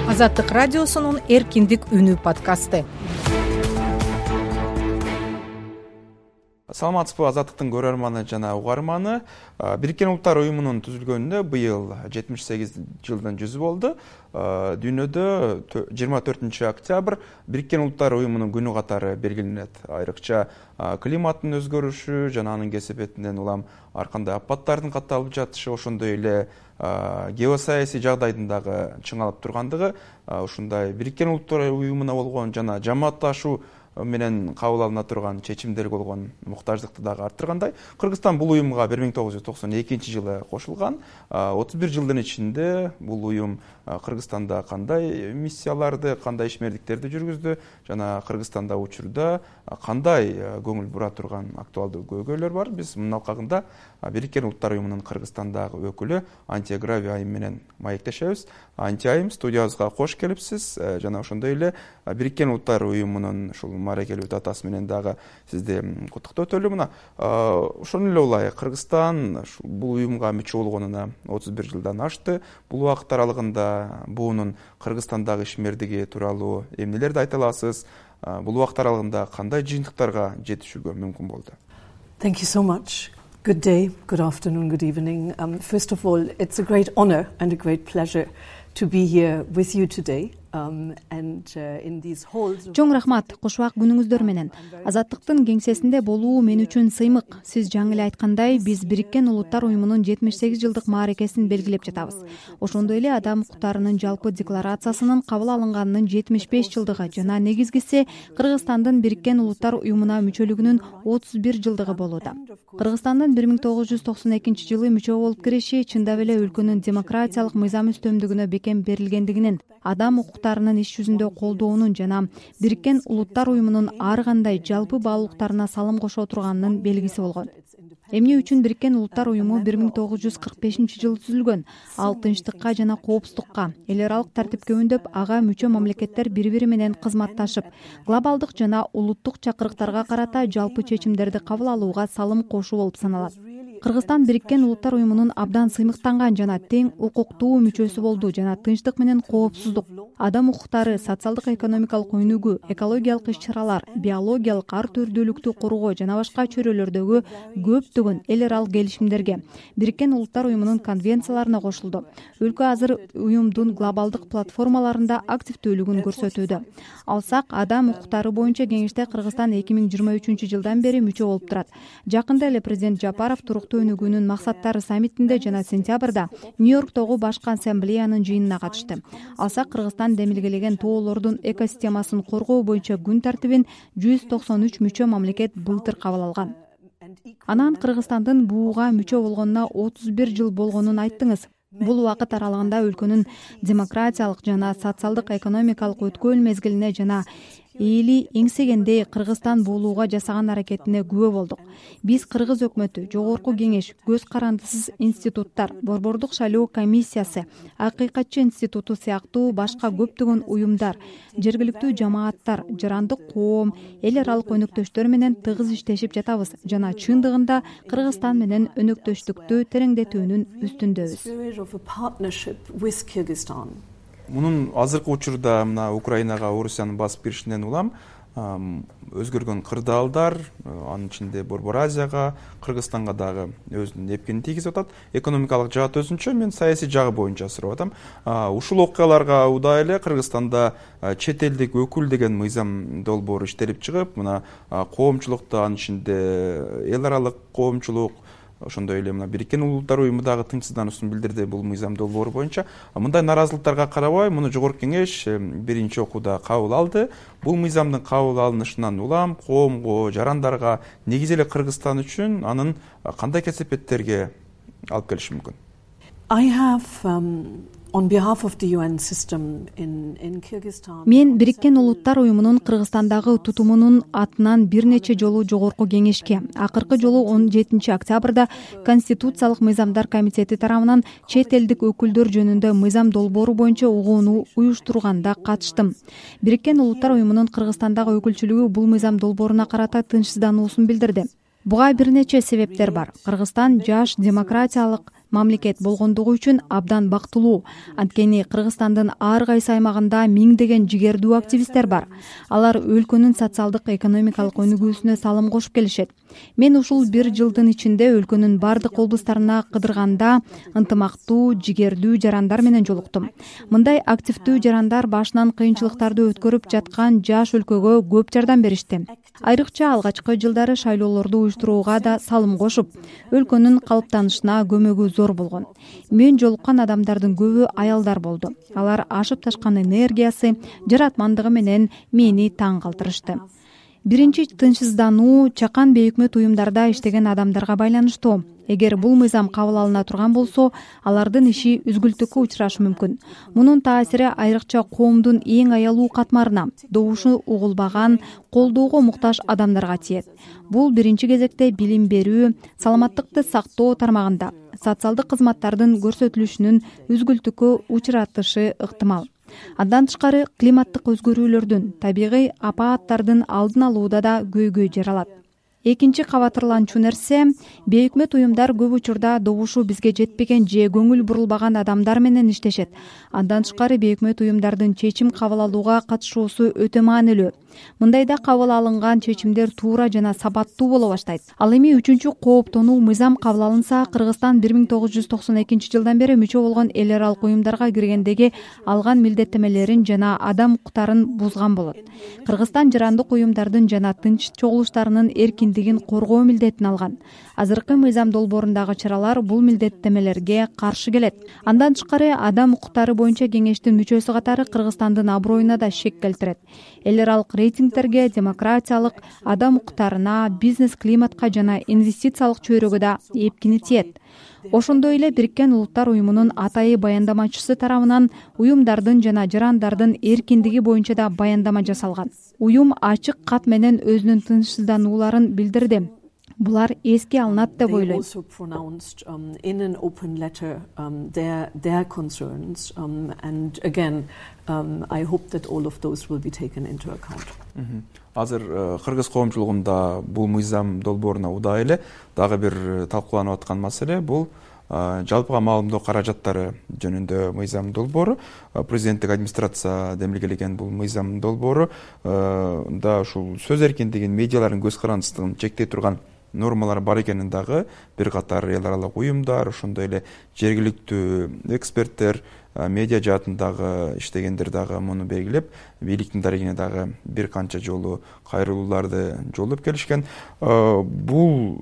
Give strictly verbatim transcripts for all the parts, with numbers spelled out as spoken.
Азаттык радиосунун эркиндик үнү подкасты. Саламатсызбы, Азаттыктын көрөрманы жана угарманы. Бириккен Улуттар уюмунун түзүлгөнүнө быйыл жетимиш сегиз жылдын жүзү болду. Дүйнөдө жыйырма төртүнчү октябрь Бириккен Улуттар уюмунун күнү катары белгиленет. Айрыкча климаттын өзгөрүшү жана анын кесепетинен улам ар кандай апаттардын катталып жатышы, ошондой эле геосаясий жагдайдын дагы чыңалып тургандыгы, ушундай Бириккен Улуттар уюмуна болгон жана жамаатташуу менен кабыл алына турган чечимдерге болгон муктаждыкты дагы арттыргандай. Кыргызстан бул уюмга бир миң тогуз жүз токсон экинчи жылы кошулган. отуз бир жылдын ичинде бул уюм Кыргызстанда кандай миссияларды, кандай ишмердиктерди жүргүздү жана Кыргызстанда учурда кандай көңүл бура турган актуалдуу көйгөйлөр бар. Биз мунун алкагында Бириккен Улуттар уюмунун Кыргызстандагы өкүлү Антия Грави айым менен маектешебиз. Антия айым, студиябызга кош келипсиз жана ошондой эле Бириккен Улуттар уюмунун ушул мааракелүү датасы менен дагы сизди куттуктоотөлү. Мына ошону эле улай Кыргызстан бул уюмга мүчө болгонуна отуз бир жылдан ашты. Бул убакыт аралыгында буунун Кыргызстандагы ишмердиги тууралуу эмнелерди айта аласыз? Бул убакыт аралыгында кандай жыйынтыктарга жетишүүгө мүмкүн болду? Thank you so much. Good day, good afternoon, good evening. Um, first of all, it's a great honor and a great pleasure to be here with you today. Um, and, uh, in these halls... Чоң рахмат, кушубак күнүңүздөр менен. Азаттыктын кеңсесинде болуу мен үчүн сыймык. Сиз жаңы эле айткандай, биз Бириккен Улуттар уюмунун жетимиш сегиз жылдык мааракесин белгилеп жатабыз. Ошондой эле адам укуктарынын жалпы декларациясынын кабыл алынганынын жетимиш беш жылдыгы жана негизгиси Кыргызстандын Бириккен Улуттар уюмуна мүчөлүгүнүн отуз бир жылдыгы болууда. Кыргызстандын бир миң тогуз жүз токсон экинчи жылы мүчө болуп кириши чындап эле өлкөнүн демократиялык мыйзам үстөмдүгүнө бекем берилгендигинин, адам укуктарынын иш жүзүндө колдоонун жана Бириккен Улуттар уюмунун ар кандай жалпы баалуулуктарына салым кошо турганынын белгиси болгон. Эмне үчүн Бириккен Улуттар уюму бир миң тогуз жүз кырк бешинчи жылы түзүлгөн? Ал тынчтыкка жана коопсуздукка, эл аралык тартипке үндөп, ага мүчө мамлекеттер бири-бири менен кызматташып, глобалдык жана улуттук чакырыктарга карата жалпы чечимдерди кабыл алууга салым кошуу болуп саналат. Кыргызстан Бириккен Улуттар уюмунун абдан сыймыктанган жана тең укуктуу мүчөсү болду жана тынчтык менен коопсуздук, адам укуктары, социалдык экономикалык өнүгүү, экологиялык иш-чаралар, биологиялык ар түрдүүлүктү коргоо жана башка чөйрөлөрдөгү көптөгөн эл аралык келишимдерге, Бириккен Улуттар уюмунун конвенцияларына кошулду. Өлкө азыр уюмдун глобалдык платформаларында активдүүлүгүн көрсөтүүдө. Алсак, адам укуктары боюнча кеңеште Кыргызстан эки миң жыйырма үчүнчү жылдан бери мүчө болуп турат. Жакында эле президент Жапаров туруктуу өнүгүүнүн максаттары саммитинде жана сентябрда Нью-Йорктогу башкы ассамблеянын жыйынына катышты. Алсак, Кыргызстан демилгелеген тоолордун экосистемасын коргоо боюнча күн тартибин жүз токсон үч мүчө мамлекет былтыр кабыл алган. Анан Кыргызстандын бууга мүчө болгонуна отуз бир жыл болгонун айттыңыз. Бул убакыт аралыгында өлкөнүн демократиялык жана социалдык экономикалык өткөн мезгилине жана эли эңсегенде Кыргызстан буулууга жасаган аракетине күбө болдук. Биз Кыргыз өкмөтү, Жогорку кеңеш, көз карандысыз институттар, Борбордук шайлоо комиссиясы, Акыйкатчы институту сыяктуу башка көптөгөн уюмдар, жергиликтүү жамааттар, жарандык коом, эл аралык өнөктөштөр менен тыгыз иштешип жатабыз жана чындыгында Кыргызстан менен өнөктөштүктү тереңдетүүнүн үстүндөбүз. Мунун азыркы учурда мына Украинага Орусиянын басып киришинен улам өзгөргөн кырдаалдар, анын ичинде Борбор Азияга, Кыргызстанга дагы өзүнүн эпкинин тийгизип атат. Экономикалык жааты өзүнчө, мен саясий жагы боюнча сурап атам. Ушул окуяларга удай эле Кыргызстанда чет элдик өкүл деген мыйзам долбоору иштелип чыгып, мына коомчулукта, анын ичинде эл аралык коомчулук, ошондой эле мына Бириккен Улуттар уюму дагы тынчсыздануусун билдирди бул мыйзам долбоору боюнча. Мындай наразылыктарга карабай, муну Жогорку кеңеш биринчи окууда кабыл алды. Бул мыйзамдын кабыл алынышынан улам коомго, жарандарга, негизи эле Кыргызстан үчүн анын кандай кесепеттерге алып келиши мүмкүн? I have um, on behalf of the U N system in in Kyrgyzstan. Мен Бириккен Улуттар уюмунун Кыргызстандагы тутумунун атынан бир нече жолу Жогорку кеңешке, акыркы жолу он жетинчи октябрда Конституциялык мыйзамдар комитети тарабынан чет элдик өкүлдөр жөнүндө мыйзам долбоору боюнча угууну уюштурганда катыштым. Бириккен Улуттар уюмунун Кыргызстандагы өкүлчүлүгү бул мыйзам долбооруна карата тынчсыздануусун билдирди. Буга бир нече себептер бар. Кыргызстан жаш, демократиялык, мамлекет болгондугу үчүн абдан бактылуу. Анткени Кыргызстандын ар кайсы аймагында миңдеген жигердүү активисттер бар. Алар өлкөнүн социалдык экономикалык өнүгүүсүнө салым кошуп келишет. Мен ушул бир жылдын ичинде өлкөнүн бардык облустарына кыдырганда ынтымактуу, жигердүү жарандар менен жолуктум. Мындай активдүү жарандар башынан кыйынчылыктарды өткөрүп жаткан жаш өлкөгө көп жардам беришти. Айрыкча алгачкы жылдары шайлоолорду уюштурууга да салым кошуп, өлкөнүн калыптанышына көмөгү зор болгон. Мен жолуккан адамдардын көбү аялдар болду. Алар ашып ташкан энергиясы, жаратмандыгы менен мени таң калтырышты. Биринчи тынчсыздануу чакан бейөкмөт уюмдарда иштеген адамдарга байланыштуу. Эгер бул мыйзам кабыл алына турган болсо, алардын иши үзгүлтүккө учурашы мүмкүн. Мунун таасири айрыкча коомдун эң аялуу катмарына, добушу угулбаган, колдоого муктаж адамдарга тиет. Бул биринчи кезекте билим берүү, саламаттыкты сактоо тармагында социалдык кызматтардын көрсөтүлүшүнүн үзгүлтүккө учуратышы ыктымал. Андан тышкары климаттык өзгөрүүлөрдүн, табигый апааттардын алдын алууда да көйгөй жер алат. Экинчи кабатырланчу нерсе, бейөкмөт уюмдар көп учурда добушу бизге жетпеген же көңүл бурулбаган адамдар менен иштешет. Андан тышкары бейөкмөт уюмдардын чечим кабыл алууга катышуусу өтө маанилүү. Мындайда кабыл алынган чечимдер туура жана сапаттуу боло баштайт. Ал эми үчүнчү кооптонуу мыйзам кабыл алынса, Кыргызстан бир миң тогуз жүз токсон экинчи жылдан бери мүчө болгон эл аралык уюмдарга киргендеги алган милдеттемелерин жана адам укуктарын бузган болот. Кыргызстан жарандык уюмдардын жана тынч чогулуштарынын эркиндигин коргоо милдетин алган. Азыркы мыйзам долбоорундагы чаралар бул милдеттемелерге каршы келет. Андан тышкары адам укуктары боюнча кеңештин мүчөсү катары Кыргызстандын аброюна да шек келтирет. Эл аралык рейтингтерге, демократиялык, адам укуктарына, бизнес климатка жана инвестициялык чөйрөгө да эпкини тиет. Ошондой эле Бириккен Улуттар уюмунун атайы баяндамачысы тарабынан уюмдардын жана жарандардын эркиндиги боюнча да баяндама жасалган. Уюм ачык кат менен өзүнүн тынчсызданууларын билдирди. Булар эске алынат деп ойлойм. Азыр кыргыз коомчулугунда бул мыйзам долбооруна удаа эле дагы бир талкууланып аткан маселе бул жалпыга маалымдоо каражаттары жөнүндө мыйзам долбоору. Президенттик администрация демилгелеген бул мыйзам долбоору да ушул сөз эркиндигин, медиалардын көз карандысыздыгын чектей турган нормалар бар экенин дагы бир катар эл аралык уюмдар, ошондой эле жергиликтүү эксперттер, медиа жаатындагы иштегендер дагы муну белгилеп, бийликтин дарегине дагы бир канча жолу кайрылууларды жолдоп келишкен. Бул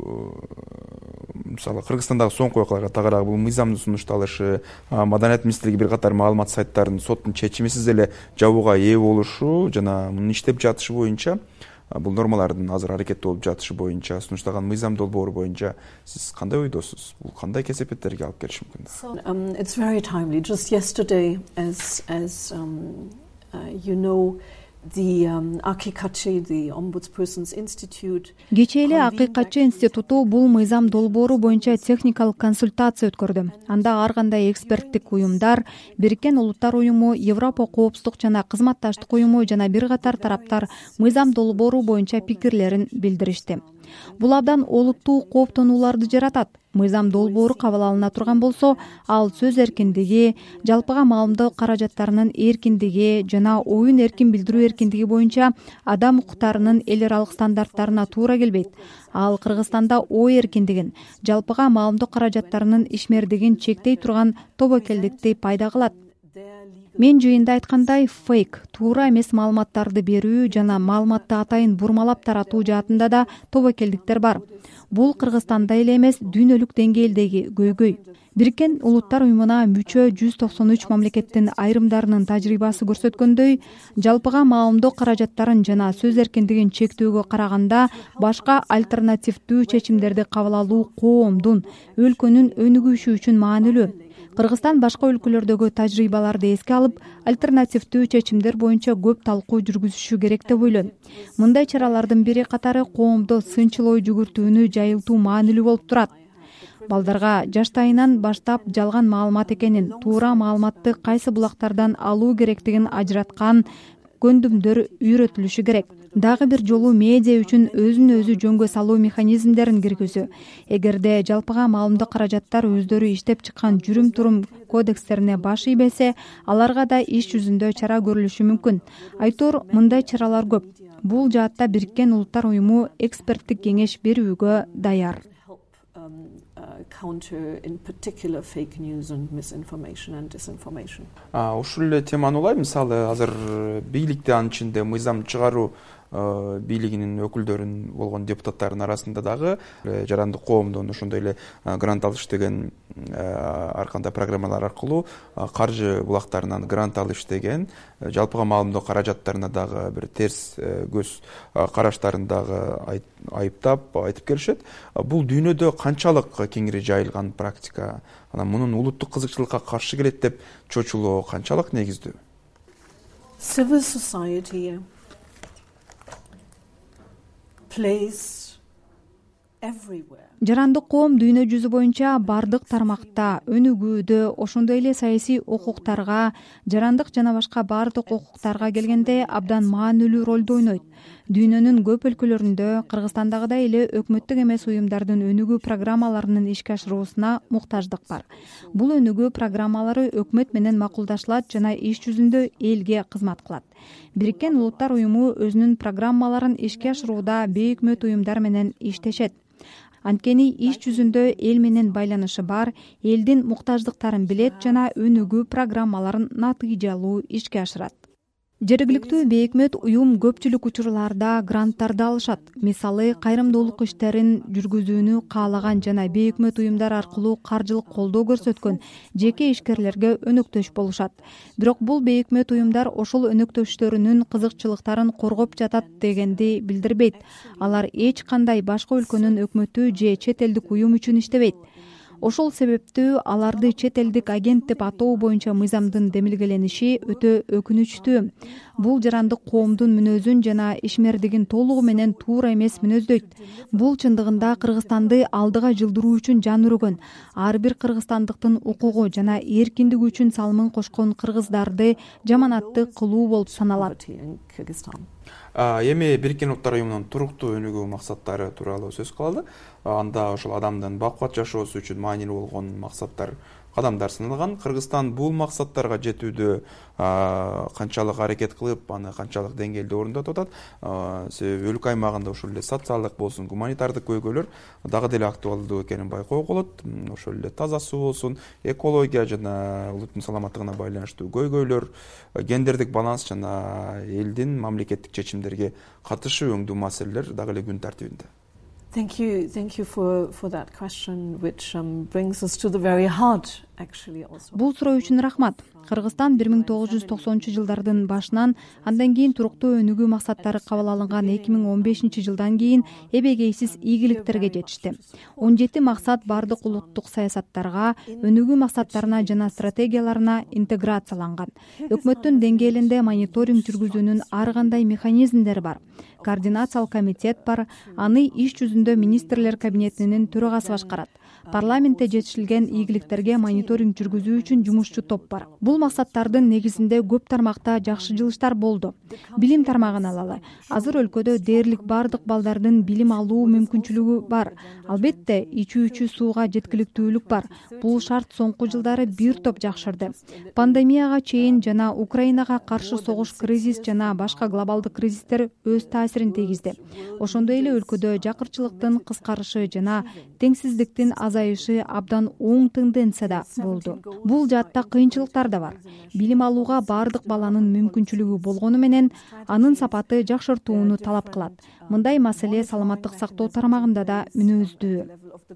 мисалы Кыргызстандагы соңку окуяларга тагыраак бул мыйзамдын сунушталышы, Маданият министрлиги бир катар маалымат сайттарын соттун чечимисиз эле жабууга ээ болушу жана мунун иштеп жатышы боюнча, бул нормалардын азыр аракетте болуп жатышы боюнча, сунушталган мыйзам долбоору боюнча сиз кандай ойдосуз? Бул кандай кесепеттерге алып келиши мүмкүн? So, um, it's very timely. Just yesterday, as as um, uh, you know, the um, Акикачи, the Ombudsperson's Institute. Кечээ эле Акикачи институту бул мыйзам долбоору боюнча техникалык консультация өткөрдү. Анда ар кандай эксперттик уюмдар, Бириккен Улуттар уюму, Европа коопсуздук жана кызматташтык уюму жана бир катар тараптар мыйзам долбоору боюнча пикирлерин билдиришти. Бул абдан олуттуу кооптонууларды жаратат. Мыйзам долбоору кабыл алына турган болсо, ал сөз эркиндиги, жалпыга маалымдоо каражаттарынын эркиндиги жана оюн эркин билдирүү эркиндиги боюнча адам укуктарынын эл аралык стандарттарына туура келбейт. Ал Кыргызстанда ой эркиндигин, жалпыга маалымдоо каражаттарынын ишмердигин чектей турган тобокелдикти пайда кылат. Мен жыйында айткандай, фейк, туура эмес маалыматтарды берүү жана маалыматты атайын бурмалап таратуу жаатында да тобокелдиктер бар. Бул Кыргызстанда эле эмес, дүйнөлүк деңгээлдеги көйгөй. Бириккен Улуттар уюмуна мүчө жүз токсон үч мамлекеттин айрымдарынын тажрыйбасы көрсөткөндөй, жалпыга маалымдоо каражаттарын жана сөз эркиндигин чектөөгө караганда башка альтернативдүү чечимдерди кабыл алуу коомдун, өлкөнүн өнүгүшү үчүн маанилүү. Кыргызстан башка өлкөлөрдөгү тажрыйбаларды эске алып, альтернативдүү чечимдер боюнча көп талкуу жүргүзүшү керек деп ойлойм. Мындай чаралардын бири катары коомдо сынчыл ой жүгүртүүнү жайылтуу маанилүү болуп турат. Балдарга жаштайынан баштап жалган маалымат экенин, туура маалыматты кайсы булактардан алуу керектигин ажыраткан көндүмдөр үйрөтүлүшү керек. дагы бир жолу медиа үчүн өзүн өзү жөнгө салуу механизмдерин киргизүү. Эгерде жалпыга маалымдык каражаттар өздөрү иштеп чыккан жүрүм-турум кодекстерине баш ийбесе, аларга да иш жүзүндө чара көрүлүшү мүмкүн. Айтор мындай чаралар көп. Бул жаатта Бириккен Улуттар уюму эксперттик кеңеш берүүгө даяр. Ушул эле теманы улай, мисалы азыр бийликте, анын ичинде мыйзам чыгаруу бийлигинин өкүлдөрүн болгон депутаттардын арасында дагы жарандык коомдон ошондой эле грант алыш деген ар кандай программалар аркылуу каржы булактарынан грант алыш деген, жалпыга маалымдоо каражаттарына дагы бир терс көз караштарын дагы айыптап айтып келишет. Бул дүйнөдө канчалык кеңири жайылган практика, анан мунун улуттук кызыкчылыкка каршы келет деп чочулоо канчалык негиздүү? Civil society plays everywhere. Жарандык коом дүйнө жүзү боюнча бардык тармакта, өнүгүүдө, ошондой эле саясий укуктарга, жарандык жана башка бардык укуктарга келгенде абдан маанилүү ролду ойнойт. Дүйнөнүн көп өлкөлөрүндө, Кыргызстандагыдай эле өкмөттүк эмес уюмдардын өнүгүү программаларынын ишке ашыруусуна муктаждык бар. Бул өнүгүү программалары өкмөт менен макулдашылат жана иш жүзүндө элге кызмат кылат. Бириккен Улуттар уюму өзүнүн программаларын ишке ашырууда бейөкмөт уюмдар менен иштешет. Анткени иш жүзүндө эл менен байланышы бар, элдин муктаждыктарын билет жана өнүгүү программаларын натыйжалуу ишке ашырат. Жергиликтүү бейөкмөт уюм көпчүлүк учурларда гранттарды алышат. Мисалы, кайрымдуулук иштерин жүргүзүүнү каалаган жана бейөкмөт уюмдар аркылуу каржылык колдоо көрсөткөн жеке ишкерлерге өнөктөш болушат. Бирок бул бейөкмөт уюмдар ошол өнөктөштөрүнүн кызыкчылыктарын коргоп жатат дегенди билдирбейт. Алар эч кандай башка өлкөнүн өкмөтү же чет элдик уюм үчүн иштебейт. Ошол себептүү аларды чет элдик агент деп атоо боюнча мыйзамдын демилгелениши өтө өкүнүчтүү. Бул жарандык коомдун мүнөзүн жана ишмердигин толугу менен туура эмес мүнөздөйт. Бул чындыгында Кыргызстанды алдыга жылдыруу үчүн жан өргөн, ар бир кыргызстандыктын укугу жана эркиндиги үчүн салымын кошкон кыргыздарды жаманатты кылуу болуп саналат. Эми Бириккен Улуттар уюмунун туруктуу өнүгүү максаттары тууралуу сөз кылалы. Анда ошол адамдын бакубат жашоосу үчүн маанилүү болгон максаттар, кадамдар саналган. Кыргызстан бул максаттарга жетүүдө канчалык аракет кылып, аны канчалык деңгээлде орындотуп атат? Себеби өлкө аймагында ошол эле социалдык болсун, гуманитардык көйгөйлөр дагы деле актуалдуу экенин байкоого болот. Ошол эле таза суу болсун, экология жана улуттун саламаттыгына байланыштуу көйгөйлөр, гендердик баланс жана элдин мамлекеттик чечимдерге катышы өңдүү маселелер дагы эле күн тартибинде. Thank you, thank you for for that question, which um, brings us to the very heart, actually also. Бул суроо үчүн рахмат. Кыргызстан бир миң тогуз жүз токсонунчу жылдардын башынан, андан кийин туруктуу өнүгүү максаттары кабыл алынган эки миң он бешинчи жылдан кийин эбегейсиз ийгиликтерге жетишти. он жети максат бардык улуттук саясаттарга, өнүгүү максаттарына жана стратегияларына интеграцияланган. Өкмөттүн деңгээлинде мониторинг жүргүзүүнүн ар кандай механизмдери бар. Координациялык комитет бар, аны иш жүзүндө министрлер кабинетинин төрагасы башкарат. Парламентте жетишилген ийгиликтерге мониторинг жүргүзүү үчүн жумушчу топ бар. Бул максаттардын негизинде көп тармакта жакшы жылыштар болду. Билим тармагын алалы. Азыр өлкөдө дээрлик бардык балдардын билим алуу мүмкүнчүлүгү бар. Албетте, ичүүчү сууга жеткиликтүүлүк бар. Бул шарт соңку жылдары бир топ жакшырды. Пандемияга чейин жана Украинага каршы согуш кризис жана башка глобалдык кризистер өз таасирин тийгизди. Ошондой эле өлкөдө жакырчылыктын кыскарышы жана теңсиздиктин азайышы абдан оң тенденцияда болду. Бул жаатта кыйынчылыктар да бар. Билим алууга бардык баланын мүмкүнчүлүгү болгону менен анын сапаты жакшыртууну талап кылат. Мындай маселе саламаттык сактоо тармагында да мүнөздүү.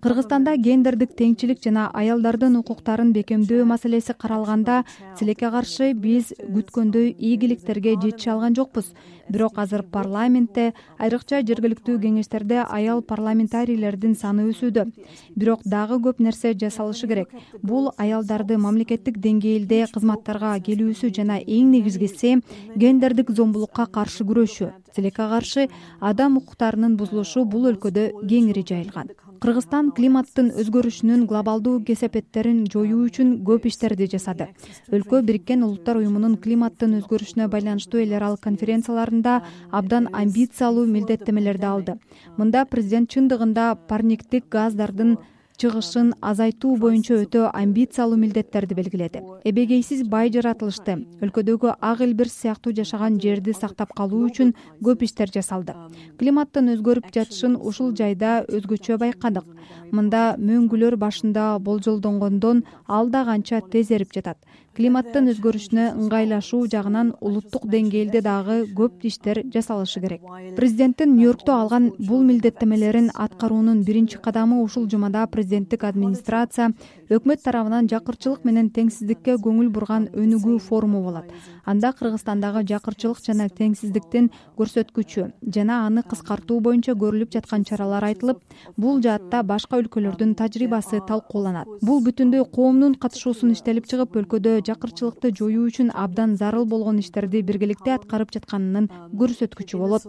Кыргызстанда гендердик теңчилик жана аялдардын укуктарын бекемдөө маселеси каралганда, тилекке каршы биз күткөндөй ийгиликтерге жетише алган жокпуз. Бирок азыр парламентте, айрыкча жергиликтүү кеңештерде аял парламентарийлердин саны өсүүдө. Бирок дагы көп нерсе жасалышы керек. Бул аялдарды мамлекеттик деңгээлде кызматтарга келүүсү жана эң негизгиси гендердик зомбулукка каршы күрөшүү. Тилекке каршы адам укуктарынын бузулушу бул өлкөдө кеңири жайылган. Кыргызстан климаттын өзгөрүшүнүн глобалдуу кесепеттерин жоюу үчүн көп иштерди жасады. Өлкө Бириккен Улуттар уюмунун климаттын өзгөрүшүнө байланыштуу эл аралык конференцияларында абдан амбициялуу милдеттемелерди алды. Мында президент чындыгында парниктик газдардын чыгышын азайтуу боюнча өтө амбициялуу милдеттерди белгиледи. Эбегейсиз бай жаратылышты, өлкөдөгү ак элбирс сыяктуу жашаган жерди сактап калуу үчүн көп иштер жасалды. Климаттын өзгөрүп жатышын ушул жайда өзгөчө байкадык. Мында мөңгүлөр башында болжолдонгондон алда канча тез эрип жатат. Климаттын өзгөрүшүнө ыңгайлашуу жагынан улуттук деңгээлде дагы көп иштер жасалышы керек. Президенттин Нью-Йоркто алган бул милдеттемелерин аткаруунун биринчи кадамы ушул жумада президенттик администрация өкмөт тарабынан жакырчылык менен теңсиздикке көңүл бурган өнүгүү форуму болот. Анда Кыргызстандагы жакырчылык жана теңсиздиктин көрсөткүчү жана аны кыскартуу боюнча көрүлүп жаткан чаралар айтылып, бул жаатта башка өлкөлөрдүн тажрыйбасы талкууланат. Бул бүтүндөй коомдун катышуусун иштелип чыгып, өлкөдө жакырчылыкты жоюу үчүн абдан зарыл болгон иштерди биргеликте аткарып жатканынын көрсөткүчү болот.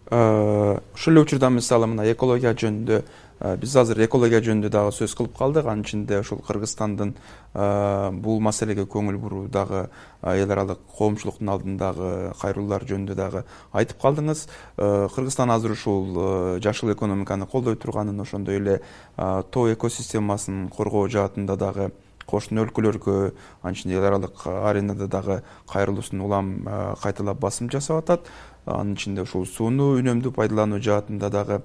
Ушул эле учурда мисалы мына экология жөнүндө биз азыр экология жөнүндө дагы сөз кылып калдык. Анын ичинде ушул Кыргызстандын бул маселеге көңүл буруу дагы эл аралык коомчулуктун алдындагы кайрылуулар жөнүндө дагы айтып калдыңыз. Кыргызстан азыр ушул жашыл экономиканы колдой турганын, ошондой эле тоо экосистемасын коргоо жаатында дагы кошуна өлкөлөргө, анын ичинде эл аралык аренада дагы кайрылуусун улам кайталап басым жасап атат. Анын ичинде ушул сууну үнөмдүү пайдалануу жаатында дагы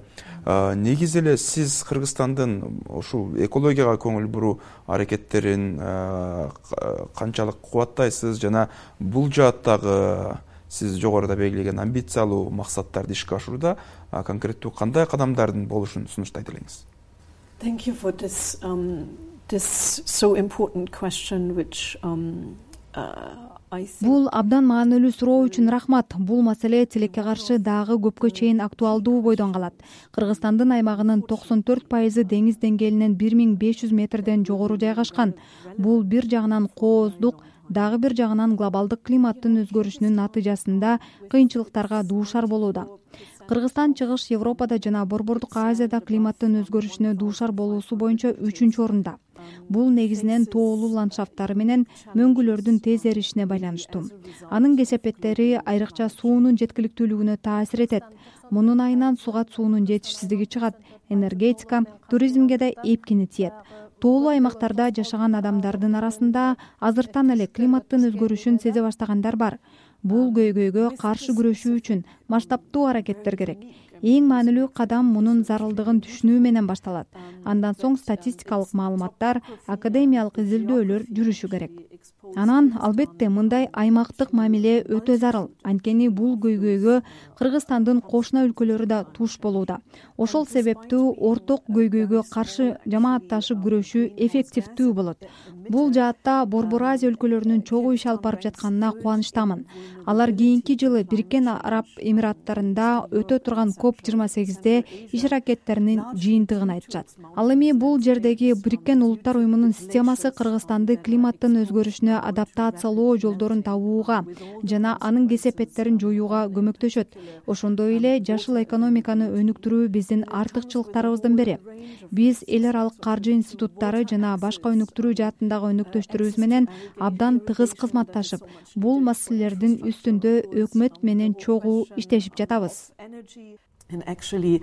негизи эле сиз Кыргызстандын ушул экологияга көңүл буруу аракеттерин канчалык кубаттайсыз жана бул жааттагы сиз жогоруда белгилеген амбициялуу максаттарды ишке ашурууда конкреттүү кандай кадамдардын болушун сунуштайт элеңиз? Thank you for this um, this so important question which um, uh, Бул абдан маанилүү суроо үчүн рахмат. Бул маселе тилекке каршы дагы көпкө чейин актуалдуу бойдон калат. Кыргызстандын аймагынын токсон төрт пайызы деңиз деңгээлинен бир миң беш жүз метрден жогору жайгашкан. Бул бир жагынан кооздук, дагы бир жагынан глобалдык климаттын өзгөрүшүнүн натыйжасында кыйынчылыктарга дуушар болууда. Кыргызстан Чыгыш Европада жана Борбордук Азияда климаттын өзгөрүшүнө дуушар болуусу боюнча үчүнчү орунда. Бул негизинен тоолуу ландшафттары менен мөңгүлөрдүн тез эришине байланыштуу. Анын кесепеттери айрыкча суунун жеткиликтүүлүгүнө таасир этет. Мунун айынан сугат суунун жетишсиздиги чыгат, энергетика, туризмге да эпкини тиет. Тоолуу аймактарда жашаган адамдардын арасында азыртан эле климаттын өзгөрүшүн сезе баштагандар бар. Бул көйгөйгө каршы күрөшүү үчүн масштабтуу аракеттер керек. Эң маанилүү кадам мунун зарылдыгын түшүнүү менен башталат. Андан соң статистикалык маалыматтар, академиялык изилдөөлөр жүрүшү керек. Анан албетте мындай аймактык мамиле өтө зарыл. Анткени бул көйгөйгө Кыргызстандын кошуна өлкөлөрү да туш болууда. Ошол себептүү орток көйгөйгө каршы жамаатташып күрөшүү эффективдүү болот. Бул жаатта Борбор Азия өлкөлөрүнүн чогуу иш алып барып жатканына кубанычтамын. Алар кийинки жылы Бириккен Араб Эмираттарында өтө турган коп жыйырма сегизде иш аракеттеринин жыйынтыгын айтышат. Ал эми бул жердеги Бириккен Улуттар уюмунун системасы Кыргызстанды климаттын өзгөрүшүнө адаптациялоо жолдорун табууга жана анын кесепеттерин жоюуга көмөктөшөт. Ошондой эле жашыл экономиканы өнүктүрүү биздин артыкчылыктарыбыздын бири. Биз эл аралык каржы институттары жана башка өнүктүрүү жаатындагы өнөктөштөрүбүз менен абдан тыгыз кызматташып, бул маселелердин үстүндө өкмөт менен чогуу иштешип жатабыз. And actually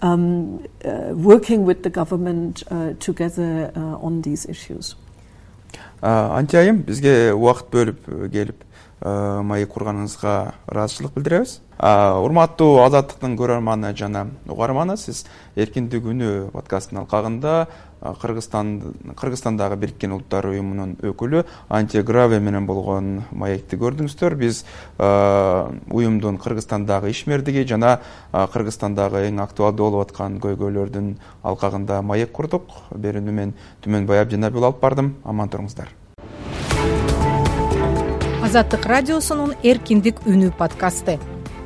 um, uh, working with the government uh, together uh, on these issues. Антиайым, бизге убакыт бөлүп келип маек курганыңызга ыраазычылык билдиребиз. Урматтуу Азаттыктын көрөрманы жана угарманы, сиз Эркиндик үнү подкастынын алкагында Кыргызстан Кыргызстандагы Бириккен Улуттар уюмунун өкүлү Антия Граве менен болгон маекти көрдүңүздөр. Биз уюмдун Кыргызстандагы ишмердиги жана Кыргызстандагы эң актуалдуу болуп аткан көйгөйлөрдүн алкагында маек курдук. Берүүнү мен Түмөнбай Абдинабил алып бардым. Аман туруңуздар. Азаттык радиосунун Эркиндик үнү подкасты.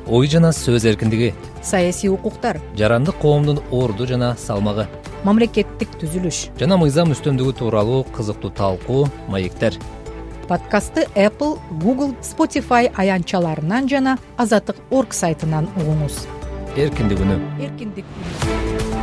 Ой жана сөз эркиндиги, саясий укуктар, жарандык коомдун орду жана салмагы, мамлекеттик түзүлүш жана мыйзам үстөмдүгү тууралуу кызыктуу талкуу маектер. подкастты Apple, Google, Spotify аянтчаларынан жана азаттык точка орг сайтынан угуңуз. эркиндик үнү. Эркиндик үнү.